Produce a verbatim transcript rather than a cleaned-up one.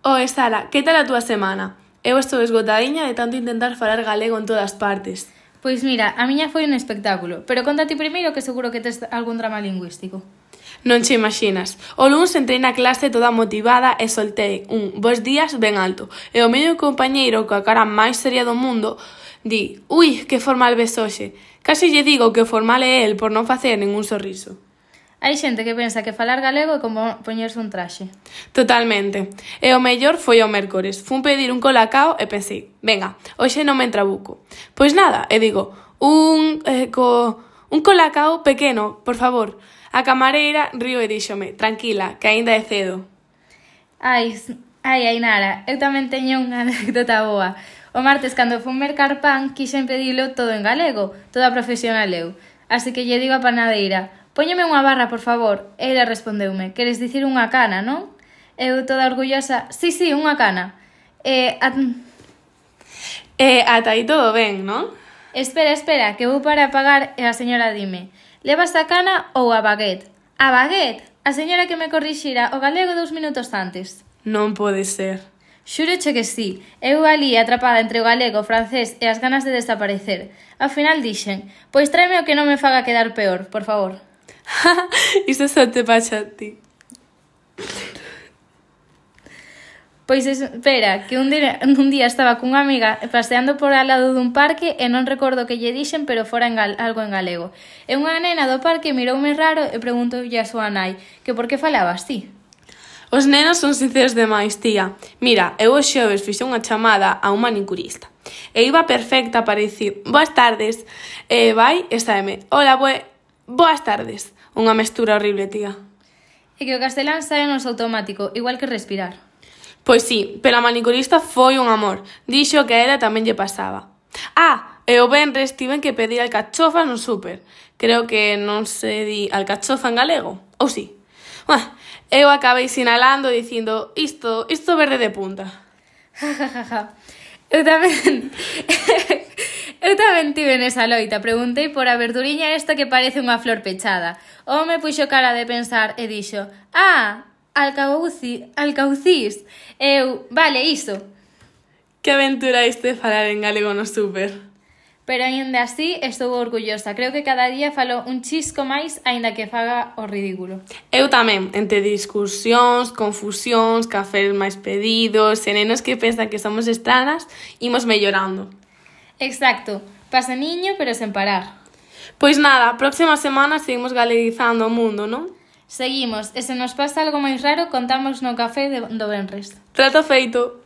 Oe, Sara, que tal a túa semana? Eu estou esgotadiña de tanto intentar falar galego en todas partes. Pois mira, a miña foi un espectáculo, pero conta ti primeiro que seguro que tes algún drama lingüístico. Non che imaginas. O luns entrei na clase toda motivada e soltei un bos días ben alto. E o meu compañeiro, coa cara máis seria do mundo, di, ui, que formal ves hoxe. Casi lle digo que o formal é el por non facer ningún sorriso. Hai xente que pensa que falar galego é como poñerse un traxe. Totalmente. E o mellor foi o mércores. Fun pedir un colacao e pensei, venga, hoxe non me entrabuco. Pois nada, e digo, un, eh, co, un colacao pequeno, por favor. A camareira río e díxome, tranquila, que aínda é cedo. Ai, ai, Ainara, eu tamén teño unha anécdota boa. O martes, cando fun mercar pan, quixen pedilo todo en galego, toda profesional eu. Así que lle digo a panadeira, póñeme unha barra, por favor. E ela respondeume, queres dicir unha cana, non? Eu toda orgullosa, sí, sí, unha cana. E... A... E ata aí todo ben, non? Espera, espera, que vou para pagar e a señora dime, levas a cana ou a baguette? A baguette? A señora que me corrixira o galego dous minutos antes. Non pode ser. Xúroche que sí, eu ali atrapada entre o galego, o francés e as ganas de desaparecer. Ao final dixen, pois tráeme o que non me faga quedar peor, por favor. Isto só te pasa a ti. Pois espera, que un día, un día estaba cunha amiga paseando por al lado dun parque e non recordo que lle dixen, pero fora en gal, algo en galego. E unha nena do parque miroume raro e preguntoulle a súa nai que por que falaba así. Os nenos son sinceros demais, tía. Mira, eu os xoves fixe unha chamada a un manicurista. E iba perfecta para dicir, boas tardes. E vai e sáeme, hola, bue... boas tardes. Unha mestura horrible, tía. E que o castelán sae nos automático, igual que respirar. Pois sí, pero a manicurista foi un amor. Dixo que a ela tamén lle pasaba. Ah, e o venres tiven que pedir alcachofas no súper. Creo que non se di alcachofa en galego, ou si? Uah, eu acabei sinalando dicindo isto, isto verde de punta. eu tamén... eu tamén tive nesa loita. Preguntei por a verduriña esta que parece unha flor pechada. O home puxo cara de pensar e dixo, ah, alcauci, alcaucís. Eu, vale, iso. Que aventura isto de falar en galego no súper. Pero aínda así estou orgullosa. Creo que cada día falo un chisco máis, aínda que faga o ridículo. Eu tamén, entre discusións, confusións, cafés máis pedidos, e nenos que pensan que somos estranas, imos mellorando. Exacto. Paseniño, pero sen parar. Pois nada, a próxima semana seguimos galeguizando o mundo, non? Seguimos, e se nos pasa algo máis raro, contamos no café de, do venres. Trato feito.